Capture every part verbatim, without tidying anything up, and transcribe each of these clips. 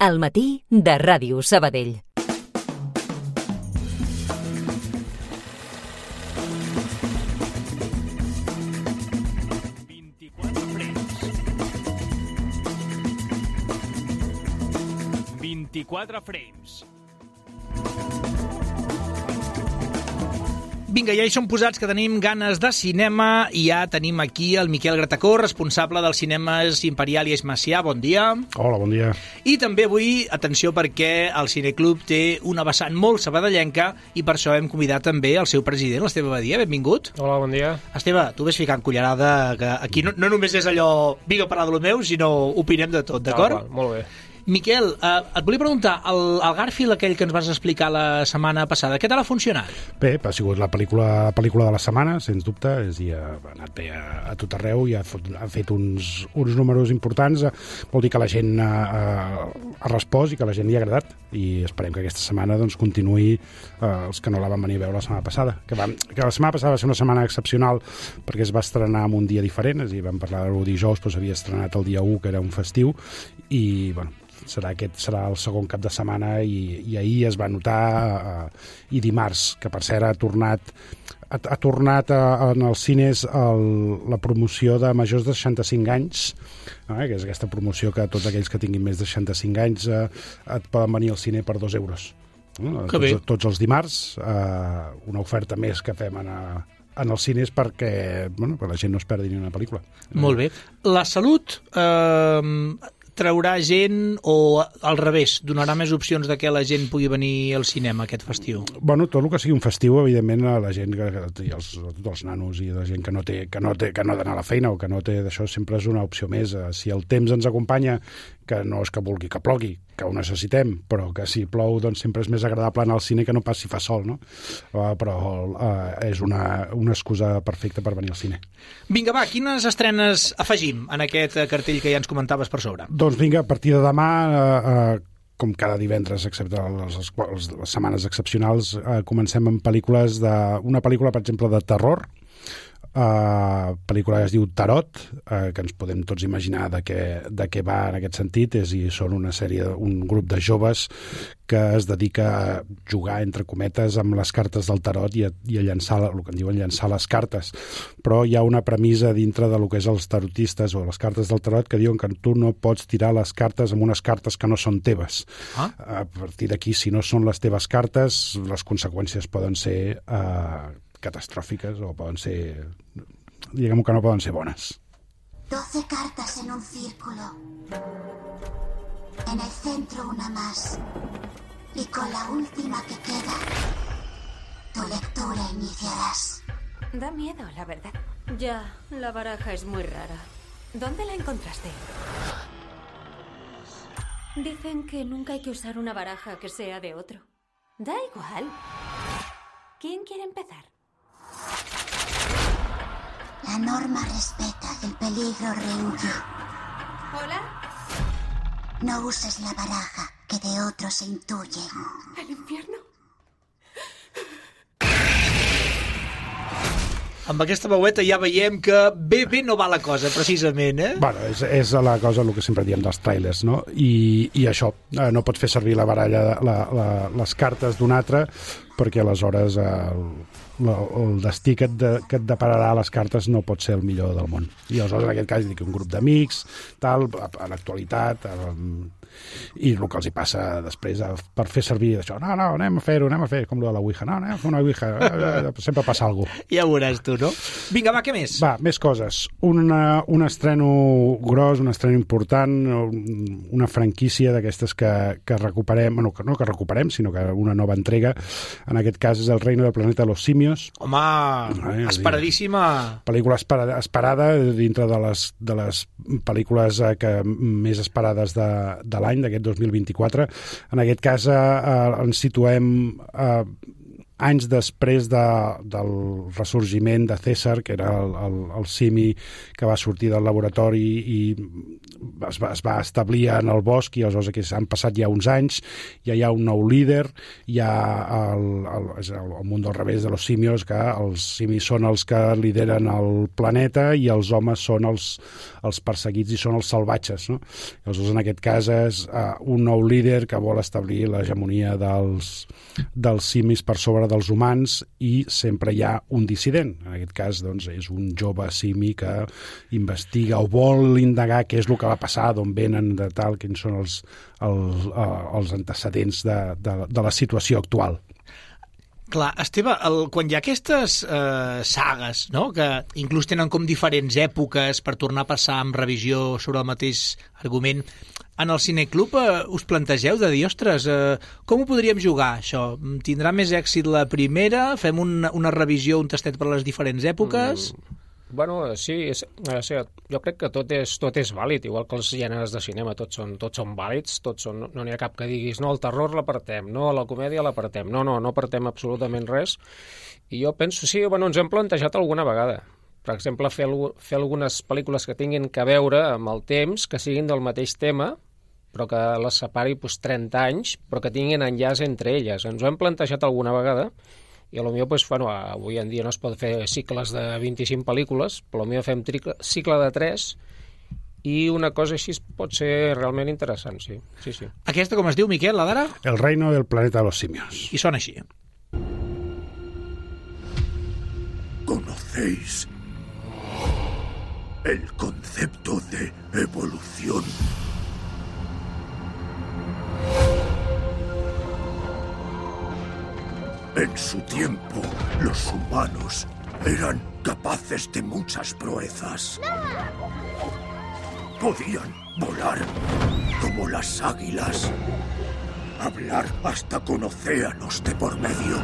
Al matí de Ràdio Sabadell. vint-i-quatre frames. vint-i-quatre frames. Vinga, ja hi som posats, que tenim ganes de cinema i ja tenim aquí el Miquel Gratacó, responsable dels cinemes Imperial i Eix Macià. Bon dia. Hola, bon dia. I també avui, atenció, perquè el Cineclub té una vessant molt sabadellenca i per això hem convidat també el seu president, l'Esteve Badia. Benvingut. Hola, bon dia. Esteve, tu ves ficant cullerada, que aquí no, no només és allò vinga a parlar de lo meu, sinó opinem de tot, d'acord? Ah, molt bé. Miquel, eh, et volia preguntar, el, el Garfield aquell que ens vas explicar la setmana passada, què tal ha funcionat? Bé, ha sigut la pel·lícula, la pel·lícula de la setmana, sens dubte, és dir, ha anat bé a, a tot arreu i ha, fot, ha fet uns, uns números importants, vol dir que la gent ha, ha respost i que la gent li ha agradat, i esperem que aquesta setmana doncs, continuï eh, els que no la van venir a veure la setmana passada, que, va, que la setmana passada va ser una setmana excepcional perquè es va estrenar en un dia diferent, és a dir, vam parlar-ho dijous, però s'havia estrenat el dia u, que era un festiu, i bueno, serà aquest serà el segon cap de setmana i, i ahir es va notar uh, i dimarts, que per cert ha tornat ha, ha tornat a, en els cines el, la promoció de majors de seixanta-cinc anys, eh, que és aquesta promoció que tots aquells que tinguin més de seixanta-cinc anys eh, et poden venir al cine per dos euros. Eh, tots, tots els dimarts, eh, una oferta més que fem en a, en els cines perquè, bueno, perquè la gent no es perdi ni una pel·lícula. Molt bé. La Salut eh, traurà gent o al revés, donarà més opcions de que la gent pugui venir al cinema aquest festiu? Bueno, tot el que sigui un festiu, evidentment, a la gent, que, i els, els nanos i la gent que no té, que no té, que no ha d'anar a la feina o que no té d'això, sempre és una opció més. Si el temps ens acompanya, que no és que vulgui que plogui, que ho necessitem, però que si plou doncs sempre és més agradable anar al cine que no pas si fa sol, no? Uh, però uh, és una, una excusa perfecta per venir al cine. Vinga, va, quines estrenes afegim en aquest cartell que ja ens comentaves per sobre? Doncs vinga, a partir de demà, uh, uh, com cada divendres, excepte les, les, les setmanes excepcionals, uh, comencem amb pel·lícules de... Una pel·lícula, per exemple, de terror, Uh, pel·lícula que es diu Tarot, uh, que ens podem tots imaginar de què, de què va en aquest sentit, és i són una sèrie, un grup de joves que es dedica a jugar, entre cometes, amb les cartes del tarot i a, i a llançar, el que en diuen llançar les cartes, però hi ha una premissa dintre de lo que és els tarotistes o les cartes del tarot que diuen que tu no pots tirar les cartes amb unes cartes que no són teves. Ah? A partir d'aquí, si no són les teves cartes, les conseqüències poden ser uh, catastròfiques o poden ser, diguem que no poden ser bones. doce cartas en un círculo. En el centro una más. Y con la última que queda, tu lectura iniciarás. Da miedo, la verdad. Ya, la baraja es muy rara. ¿Dónde la encontraste? Dicen que nunca hay que usar una baraja que sea de otro. Da igual. ¿Quién quiere empezar? La norma respeta y el peligro rehuye. ¿Hola? No uses la baraja que de otros se intuye. ¿El infierno? Amb aquesta veueta ja veiem que bé, bé no va la cosa, precisament, eh? Bueno, és, és la cosa, el que sempre diem dels trailers, no? I, i això, eh, no pots fer servir la baralla, la, la, les cartes d'un altre, perquè aleshores eh, el, el destí que et, de, que et depararà les cartes no pot ser el millor del món. I aleshores, en aquest cas, dic un grup d'amics, tal, a, a l'actualitat, a, i el que els hi passa després a, per fer servir això, no, no, anem a fer-ho, anem a fer, com lo de la Ouija, no, anem a fer una Ouija, sempre passa alguna cosa. Ja veuràs tu, no? Vinga, va, què més? Va, més coses. Una, un estreno gros, un estreno important, una franquícia d'aquestes que, que recuperem, bueno, que no que recuperem, sinó que una nova entrega, en aquest cas és El reino del planeta de los simios. Home, eh, esperadíssima. Pel·lícula esperada, esperada dintre de les, de les pel·lícules eh, que més esperades de, de l'any, d'aquest dos mil vint-i-quatre. En aquest cas eh, ens situem eh, anys després de, del ressorgiment de César, que era el, el, el simi que va sortir del laboratori i es va, es va establir en el bosc, i aleshores que han passat ja uns anys, ja hi ha un nou líder, hi ha el, el, el, el món del revés de los simios, que els simis són els que lideren el planeta i els homes són els, els perseguits i són els salvatges, no? Aleshores, en aquest cas és uh, un nou líder que vol establir l'hegemonia dels, dels simis per sobre dels humans, i sempre hi ha un dissident. En aquest cas, doncs, és un jove simi que investiga o vol indagar què és el que va passar, d'on venen, de tal, quins són els, els, uh, els antecedents de, de, de la situació actual. Clar, Esteve, el, quan hi ha aquestes eh, sagues, no?, que inclús tenen com diferents èpoques per tornar a passar amb revisió sobre el mateix argument, en el Cineclub eh, us plantegeu de dir, ostres, eh, com ho podríem jugar, això? Tindrà més èxit la primera? Fem una, una revisió, un tastet per les diferents èpoques? Mm. Bueno, sí, és, és, jo crec que tot és, tot és vàlid, igual que els gèneres de cinema, tots són, tots són vàlids, tots són, no n'hi ha cap que diguis, no, el terror l'apartem, no, la comèdia l'apartem, no, no, no apartem absolutament res, i jo penso, sí, bueno, ens hem plantejat alguna vegada, per exemple, fer, fer algunes pel·lícules que tinguin que veure amb el temps, que siguin del mateix tema, però que les separi doncs, trenta anys, però que tinguin enllaç entre elles, ens ho hem plantejat alguna vegada, i potser, pues, bueno, avui en dia no es pot fer cicles de vint-i-cinc pel·lícules, però potser fem tricle, cicle de tres, i una cosa així pot ser realment interessant, sí. sí, sí. Aquesta com es diu, Miquel, la d'ara? El reino del planeta de los simios. I sona així. ¿Conocéis el concepto de evolución? En su tiempo, los humanos eran capaces de muchas proezas. Podían volar como las águilas, hablar hasta con océanos de por medio.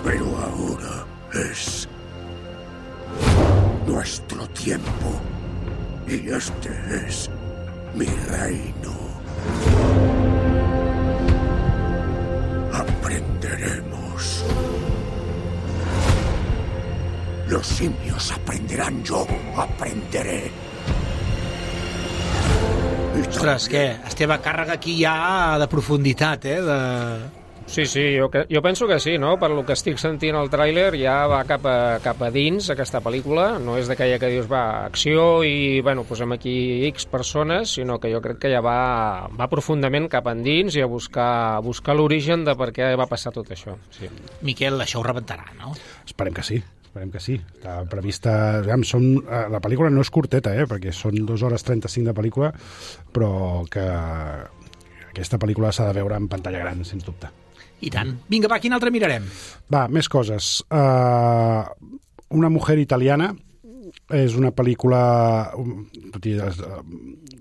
Pero ahora es nuestro tiempo, y este es mi reino. Aprenderemos. Los simios aprenderán, yo aprenderé. Ostres, què? Esteve, càrrega aquí ja de profunditat, eh? De... Sí, sí, jo, jo penso que sí, no? Per lo que estic sentint al tràiler ja va cap a, cap a dins aquesta pel·lícula, no és d'aquella que dius va, acció i, bueno, posem aquí X persones, sinó que jo crec que ja va, va profundament cap endins i a buscar, a buscar l'origen de per què va passar tot això. Sí. Miquel, això ho rebentarà, no? Esperem que sí. Esperem que sí. Està prevista... Aviam, són, la pel·lícula no és curteta, eh? Perquè són dues hores trenta-cinc de pel·lícula, però que aquesta pel·lícula s'ha de veure en pantalla gran, sens dubte. I tant. Vinga, va, quin altre mirarem? Va, més coses. Uh, una mujer italiana és una pel·lícula, tot i, uh,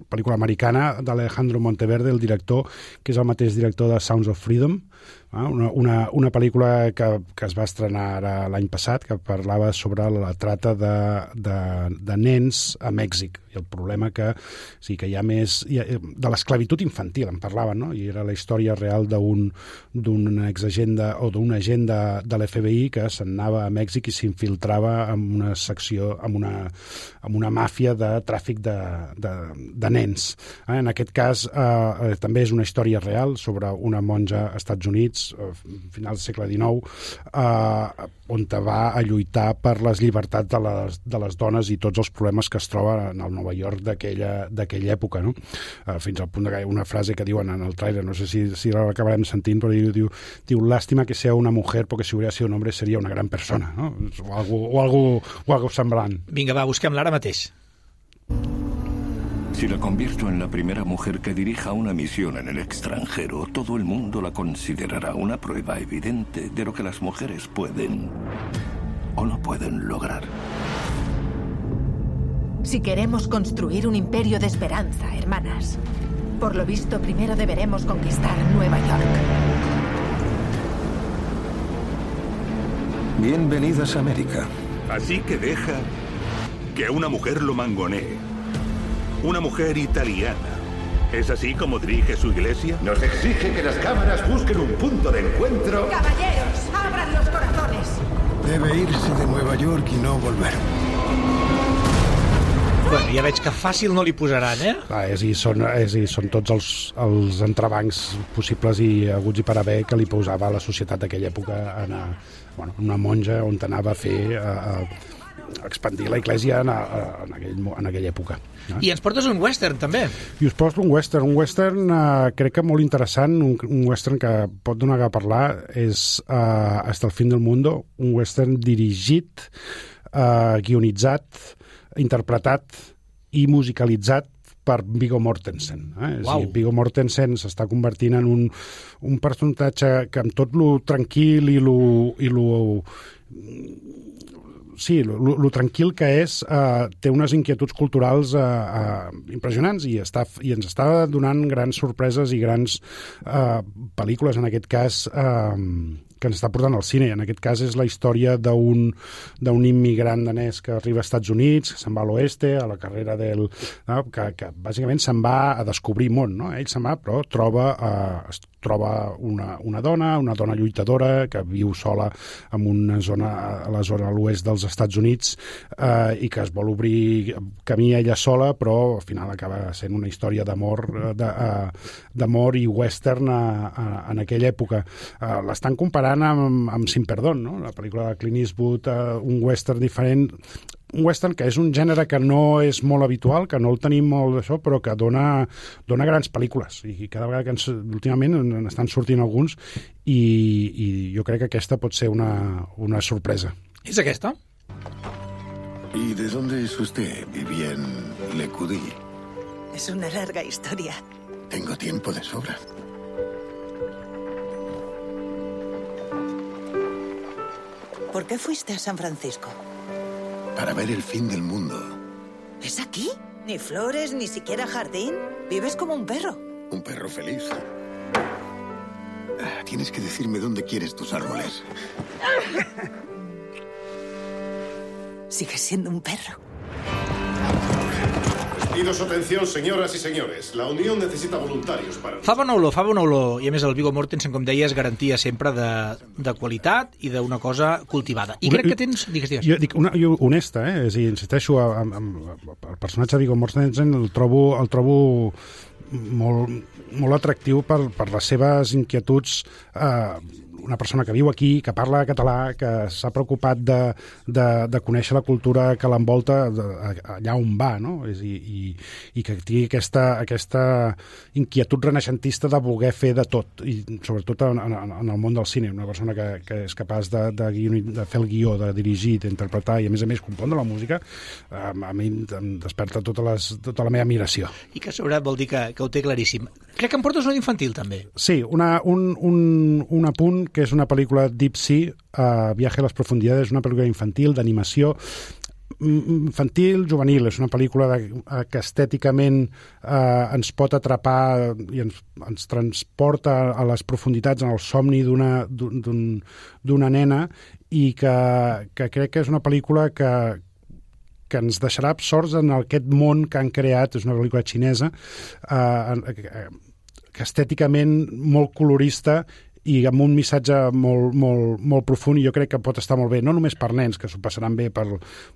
pel·lícula americana d'Alejandro Monteverde, el director, que és el mateix director de Sounds of Freedom, uh, una, una, una pel·lícula que, que es va estrenar l'any passat, que parlava sobre la trata de, de, de nens a Mèxic, i el problema que, sí, que hi ha més... Hi ha, de l'esclavitud infantil, en parlaven, no? I era la història real d'un d'un exagenda o d'un agent de, de l'F B I que se'n anava a Mèxic i s'infiltrava en una secció, en una, en una màfia de tràfic de, de, de nens. Eh? En aquest cas, eh, també és una història real sobre una monja als Estats Units, eh, final del segle dinou, eh, on va a lluitar per les llibertats de les, de les dones i tots els problemes que es troba en el Nova York d'aquella època, no? Uh, fins al punt que hi ha una frase que diuen en el trailer, no sé si, si l'acabarem sentint, però diu, diu, diu, lástima que sea una mujer porque si hubiera sido un hombre sería una gran persona, no? O algo, o algo, o algo semblant. Vinga, va, busquem-la ara mateix. Si la convierto en la primera mujer que dirija una misión en el extranjero, todo el mundo la considerará una prueba evidente de lo que las mujeres pueden o no pueden lograr. Si queremos construir un imperio de esperanza, hermanas, por lo visto primero deberemos conquistar Nueva York. Bienvenidas a América. Así que deja que una mujer lo mangonee. Una mujer italiana ¿Es así como dirige su iglesia? Nos exige que las cámaras busquen un punto de encuentro. ¡Caballeros, abran los corazones! Debe irse de Nueva York i no volver. Bueno, ja veig que fàcil no li posaran, eh? Clar, és, i són, és, i són tots els, els entrebancs possibles i haguts i per haver que li posava la societat d'aquella època a anar, bueno, una monja on anava a fer... A, a, expandir la Iglesia en, a, en, aquell, en aquella època. No? I ens portes un western, també. I us porto un western. Un western eh, crec que molt interessant, un, un western que pot donar a parlar, és eh, Hasta el fin del mundo, un western dirigit, eh, guionitzat, interpretat i musicalitzat per Viggo Mortensen. Eh? Wow. És a dir, Viggo Mortensen s'està convertint en un, un personatge que amb tot lo tranquil i lo... I lo sí, lo, lo tranquil que és, eh, té unes inquietuds culturals eh, eh, impressionants i, està, i ens està donant grans sorpreses i grans eh, pel·lícules, en aquest cas, eh, que ens està portant al cine. En aquest cas és la història d'un d'un immigrant danès que arriba als Estats Units, que se'n va a l'oeste, a la carrera del... No? Que, que bàsicament se'n va a descobrir món, no? Ell se'n va, però troba, eh, es troba una, una dona, una dona lluitadora que viu sola en una zona, a la zona a l'oest dels Estats Units, eh, i que es vol obrir camí ella sola, però al final acaba sent una història d'amor d'amor i western a, a, en aquella època. Eh, l'estan comparant amb, amb Sin Perdón, no? La pel·lícula de Clint Eastwood, uh, un western diferent, un western que és un gènere que no és molt habitual, que no el tenim molt d'això, però que dona, dona grans pel·lícules, i cada vegada que ens, últimament n'estan sortint alguns, i, i jo crec que aquesta pot ser una, una sorpresa. És aquesta? ¿Y de dónde es usted? Viví en Le Cudí. Es una larga historia. Tengo tiempo de sobra. ¿Por qué fuiste a San Francisco? Para ver el fin del mundo. ¿Es aquí? ¿Ni flores, ni siquiera jardín? Vives como un perro. Un perro feliz. Tienes que decirme dónde quieres tus árboles. Sigues siendo un perro. Pido su atención, señoras y señores. La Unión necesita voluntarios para... Fa bona olor, fa bona olor. I a més el Viggo Mortensen, com deies, garantia sempre de, de qualitat i d'una cosa cultivada. I crec que tens... Digues, digues. Jo dic, una, jo honesta, eh? És a dir, insisteixo, amb, amb, el personatge de Viggo Mortensen el trobo, el trobo molt, molt atractiu per, per les seves inquietuds, eh, una persona que viu aquí, que parla català, que s'ha preocupat de, de, de conèixer la cultura que l'envolta allà on va, no? És, i, i, i que tingui aquesta, aquesta inquietud renaixentista de voler fer de tot, i sobretot en, en, en el món del cine, una persona que, que és capaç de, de, de fer el guió, de dirigir, d'interpretar i a més a més compondre la música, a, a mi em desperta tota, les, tota la meva admiració. I que a sobre vol dir que, que ho té claríssim. Crec que em portes una infantil, també. Sí, una, un, un, un apunt que és una pel·lícula Deep Sea, uh, Viaje a les profundidades, una pel·lícula infantil, d'animació, infantil, juvenil. És una pel·lícula de, uh, que estèticament uh, ens pot atrapar i ens, ens transporta a les profunditats, en el somni d'una d'un, d'una nena, i que, que crec que és una pel·lícula que, que ens deixarà absorts en aquest món que han creat. És una pel·lícula xinesa, uh, que estèticament molt colorista i amb un missatge molt, molt, molt profund, i jo crec que pot estar molt bé, no només per nens, que s'ho passaran bé per,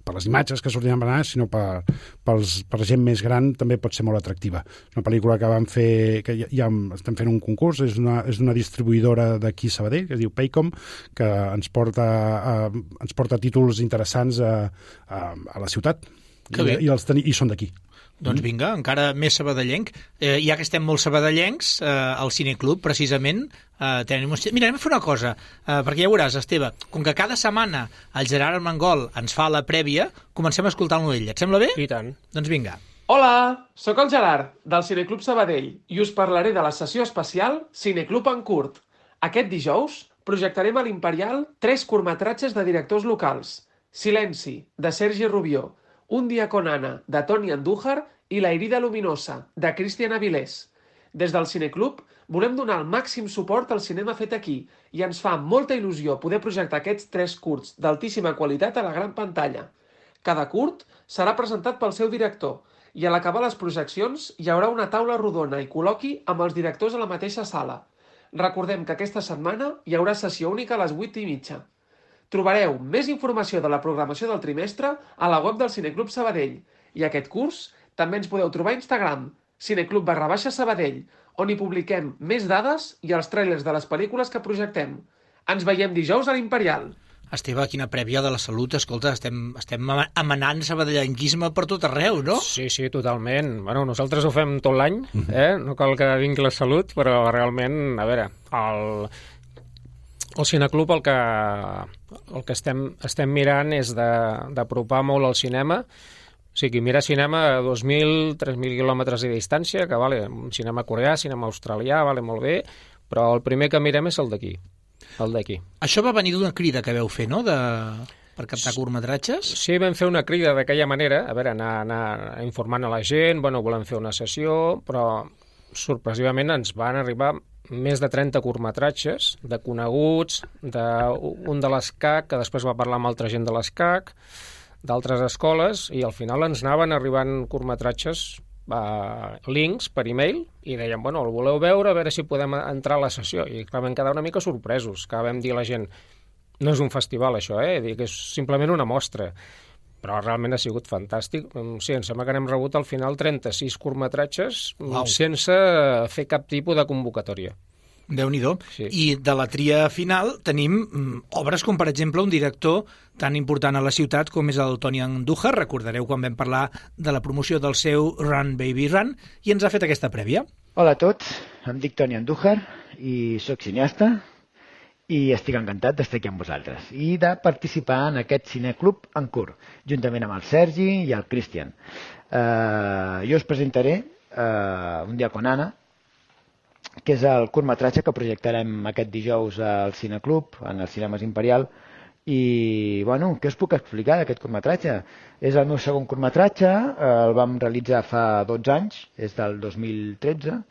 per les imatges que sortiran per anar, sinó per, pels, per gent més gran també pot ser molt atractiva. És una pel·lícula que vam fer, que ja, ja estem fent un concurs, és una, és una distribuïdora d'aquí a Sabadell, que es diu Paycom, que ens porta, uh, ens porta títols interessants a, a, a la ciutat. Que bé. I, i, els teni, i són d'aquí. Doncs vinga, encara més sabadellenc. Eh, ja que estem molt sabadellencs, eh, al Cineclub, precisament, eh, tenim... Mira, anem a fer una cosa, eh, perquè ja veuràs, Esteve, com que cada setmana el Gerard Armengol ens fa la prèvia, comencem a escoltar-lo ell. Et sembla bé? I tant. Doncs vinga. Hola, sóc el Gerard, del Cineclub Sabadell, i us parlaré de la sessió especial Cineclub en curt. Aquest dijous projectarem a l'Imperial tres curtmetratges de directors locals. Silenci, de Sergi Rubió, Un dia con Anna, de Toni Andújar, i La herida luminosa, de Cristian Avilés. Des del Cineclub volem donar el màxim suport al cinema fet aquí i ens fa molta il·lusió poder projectar aquests tres curts d'altíssima qualitat a la gran pantalla. Cada curt serà presentat pel seu director I a l'acabar les projeccions hi haurà una taula rodona i col·loqui amb els directors a la mateixa sala. Recordem que aquesta setmana hi haurà sessió única a les vuit i mitja. Trobareu més informació de la programació del trimestre a la web del Cineclub Sabadell. I aquest curs també ens podeu trobar a Instagram, cineclub barra baixa Sabadell, on hi publiquem més dades i els tràilers de les pel·lícules que projectem. Ens veiem dijous a l'Imperial. Esteve, quina prèvia de la salut. Escolta, estem, estem emanant sabadellenquisme per tot arreu, no? Sí, sí, totalment. Bueno, nosaltres ho fem tot l'any, eh? No cal que vingui la salut, però realment, a veure, el, el Cineclub el que, el que estem, estem mirant és d'apropar molt al cinema. O sigui, mirar cinema a dos mil, tres mil quilòmetres de distància, que vale, un cinema coreà, cinema australià, vale molt bé, però el primer que mirem és el d'aquí. El d'aquí. Això va venir d'una crida que veu fer, no?, de... per captar curtmetratges? Sí, vam fer una crida d'aquella manera, a veure, anar, anar informant a la gent, bueno, volem fer una sessió, però sorpresivament ens van arribar més de trenta curtmetratges de coneguts, d'un de l'ESCAC, que després va parlar amb altra gent de l'ESCAC, d'altres escoles, i al final ens anaven arribant curtmetratges, Uh, links per e-mail, i deien, bueno, el voleu veure, a veure si podem entrar a la sessió, i clar, vam quedar una mica sorpresos, que vam dir a la gent, no és un festival això, eh? Dir que és simplement una mostra, però realment ha sigut fantàstic. Sí, em sembla que n'hem rebut al final trenta-sis curtmetratges wow. sense fer cap tipus de convocatòria. Déu-n'hi-do. Sí. I de la tria final tenim mm, obres com, per exemple, un director tan important a la ciutat com és el Toni Andújar. Recordareu quan vam parlar de la promoció del seu Run Baby Run, i ens ha fet aquesta prèvia. Hola a tots, em dic Toni Andújar i sóc cineasta i estic encantat d'estar aquí amb vosaltres i de participar en aquest cineclub en curt, juntament amb el Sergi i el Cristian. Uh, jo us presentaré uh, Un dia con Anna, que és el curtmetratge que projectarem aquest dijous al Cineclub, en els Cinemes Imperial. I, bueno, què us puc explicar d'aquest curtmetratge? És el meu segon curtmetratge, el vam realitzar fa dotze anys, és del dos mil tretze,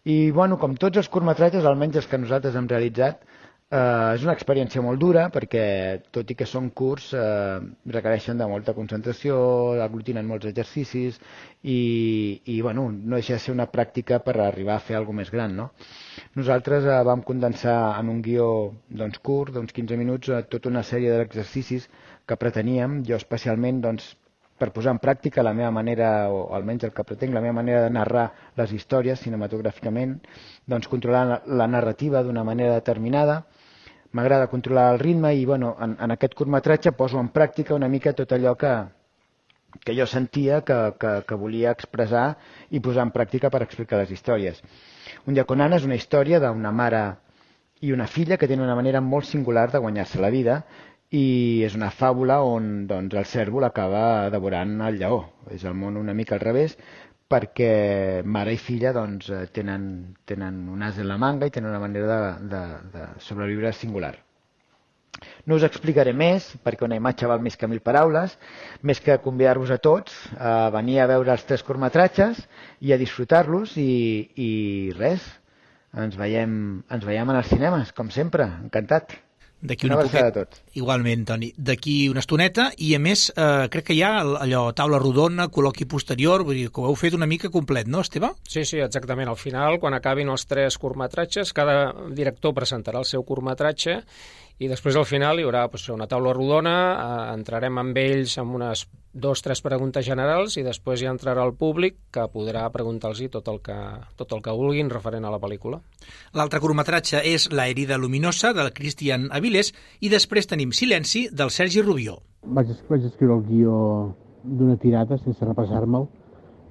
i, bueno, com tots els curtmetratges, almenys els que nosaltres hem realitzat, eh, és una experiència molt dura, perquè, tot i que són curts, eh, requereixen de molta concentració, aglutinen molts exercicis, i, i bueno, no deixa de ser una pràctica per arribar a fer alguna més gran, no? Nosaltres eh, vam condensar en un guió doncs, curt, d'uns quinze minuts, eh, tota una sèrie d'exercicis que preteníem, jo especialment, doncs, per posar en pràctica la meva manera, o almenys el que pretenc, la meva manera de narrar les històries cinematogràficament, doncs controlar la, la narrativa d'una manera determinada. M'agrada controlar el ritme i, bueno, en, en aquest curtmetratge poso en pràctica una mica tot allò que, que jo sentia que, que, que volia expressar i posar en pràctica per explicar les històries. Un dia con Anna és una història d'una mare i una filla que tenen una manera molt singular de guanyar-se la vida, i és una fàbula on doncs, el cérvol acaba devorant el lleó. És el món una mica al revés, perquè mare i filla doncs, tenen, tenen un as en la manga i tenen una manera de, de, de sobreviure singular. No us explicaré més, perquè una imatge val més que mil paraules, més que convidar-vos a tots a venir a veure els tres curtmetratges i a disfrutar-los, i, i res, ens veiem, ens veiem en els cinemes, com sempre, encantat. D'aquí una, una poquet, a tots. Igualment, Toni. D'aquí una estoneta, i a més, eh, crec que hi ha allò, taula rodona, col·loqui posterior, vull dir que ho heu fet una mica complet, no, Esteve? Sí, sí, exactament. Al final, quan acabin els tres curtmetratges, cada director presentarà el seu curtmetratge, i després al final hi haurà pues, una taula rodona, eh, entrarem amb ells amb unes dos, tres preguntes generals, i després ja entrarà el públic, que podrà preguntar-los tot, el que, tot el que vulguin referent a la pel·lícula. L'altre curtmetratge és La herida luminosa, del Cristian Avilés, i després tenim Silenci, del Sergi Rubió. Vaig, vaig escriure el guió d'una tirada, sense repassar-me'l,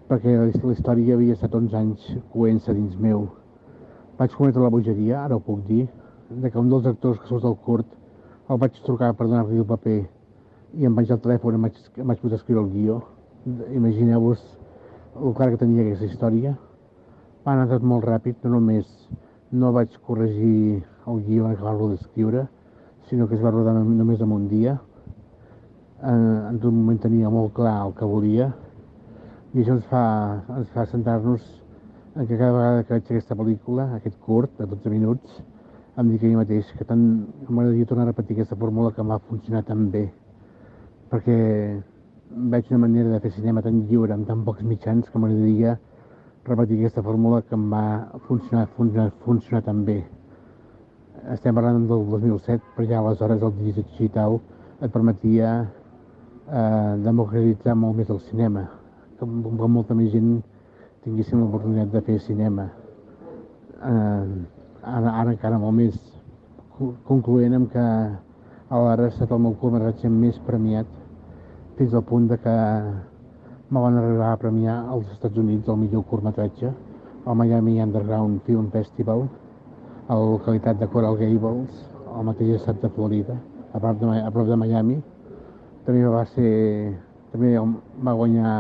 perquè la història havia estat onze anys coent-se dins meu. Vaig cometre la bogeria, ara ho puc dir, de que un dels actors que surt del curt el vaig trucar per donar-li el paper i em vaig al telèfon i em vaig, em vaig posar a escriure el guió. Imagineu-vos el clar que tenia aquesta història. Va anar tot molt ràpid, no només no vaig corregir el guió en acabar-lo d'escriure, sinó que es va rodar només en un dia. En, en tot moment tenia molt clar el que volia, i això ens fa, ens fa centrar-nos en que cada vegada que veig aquesta pel·lícula, aquest curt de dotze minuts, em dic a mi mateix que tant m'agradaria tornar a repetir aquesta fórmula que m'ha funcionat tan bé, perquè veig una manera de fer cinema tan lliure, amb tan pocs mitjans, que m'agradaria repetir aquesta fórmula que em va funcionar, funcionar, funcionar tan bé. Estem parlant del dos mil set, però ja aleshores el digital et permetia eh, democratitzar molt més el cinema, que, que molta més gent tinguéssim l'oportunitat de fer cinema. Eh, ara, ara encara molt més, concloent amb que alhora ha estat el meu curtmetratge més premiat, fins al punt de que me van arribar a premiar als Estats Units el millor curtmetratge, al Miami Underground Film Festival, a la localitat de Coral Gables, al mateix estat de Florida, a prop de, a prop de Miami. També va ser, també va guanyar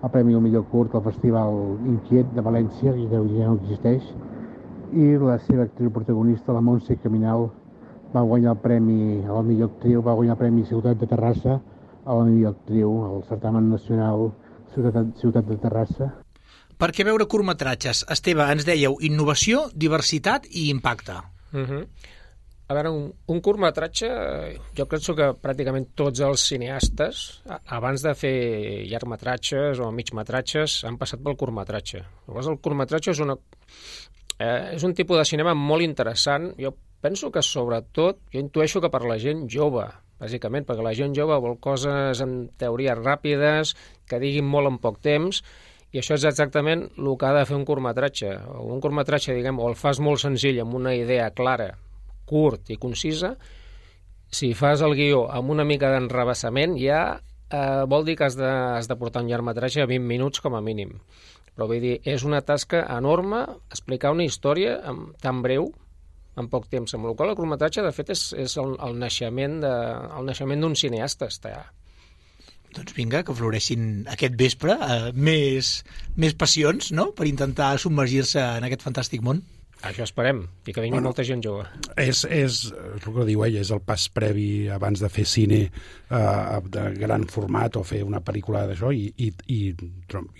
el premi al millor curt al Festival Inquiet de València, que ja no existeix, i la seva actriu protagonista, la Montse Caminal, va guanyar el premi a la millor actriu, va guanyar el premi Ciutat de Terrassa a la millor actriu, al certamen nacional Ciutat, Ciutat de Terrassa. Per què veure curtmetratges? Esteve, ens dèieu innovació, diversitat i impacte. Uh-huh. A veure, un, un curtmetratge, jo penso que pràcticament tots els cineastes, abans de fer llargmetratges o migmetratges, han passat pel curtmetratge. Llavors, el curtmetratge és, una, eh, és un tipus de cinema molt interessant. Jo penso que, sobretot, jo intueixo que per la gent jove, bàsicament, perquè la gent jove vol coses en teories ràpides, que diguin molt en poc temps, i això és exactament el que ha de fer un curtmetratge. Un curtmetratge, diguem, o el fas molt senzill, amb una idea clara, curt i concisa. Si fas el guió amb una mica d'enrevessament, ja eh, vol dir que has de, has de portar un llargmetratge a vint minuts com a mínim. Però vull dir, és una tasca enorme explicar una història amb, tan breu, en poc temps. Amb la qual el curtmetratge, de fet, és, és el, el naixement de, el naixement d'un cineasta. Està. Doncs vinga, que floreixin aquest vespre eh, més, més passions, no?, per intentar submergir-se en aquest fantàstic món. Això esperem, i que vingui bueno, molta gent jove. És, és, és el que diu ella, és el pas previ abans de fer cine eh, de gran format o fer una pel·lícula d'això, i, i, i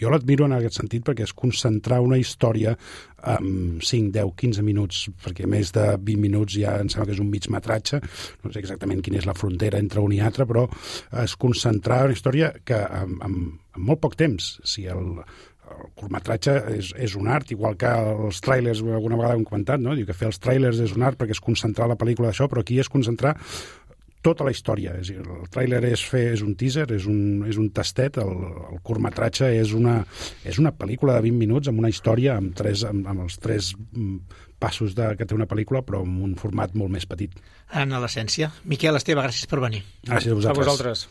jo l'admiro en aquest sentit perquè és concentrar una història en cinc, deu, quinze minuts, perquè més de vint minuts ja em sembla que és un mig metratge, no sé exactament quina és la frontera entre un i altre, però és concentrar una història que en, en, en molt poc temps, si el el curtmetratge és, és un art, igual que els tràilers, alguna vegada hem comentat, no? Diu que fer els tràilers és un art perquè és concentrar la pel·lícula d'això, però aquí és concentrar tota la història. És dir, el tràiler és, fer, és un teaser, és un, és un tastet, el, el curtmetratge és una, és una pel·lícula de vint minuts amb una història, amb, tres, amb, amb els tres passos de, que té una pel·lícula, però amb un format molt més petit. En l'essència. Miquel, Esteve, gràcies per venir. Gràcies a vosaltres. A vosaltres.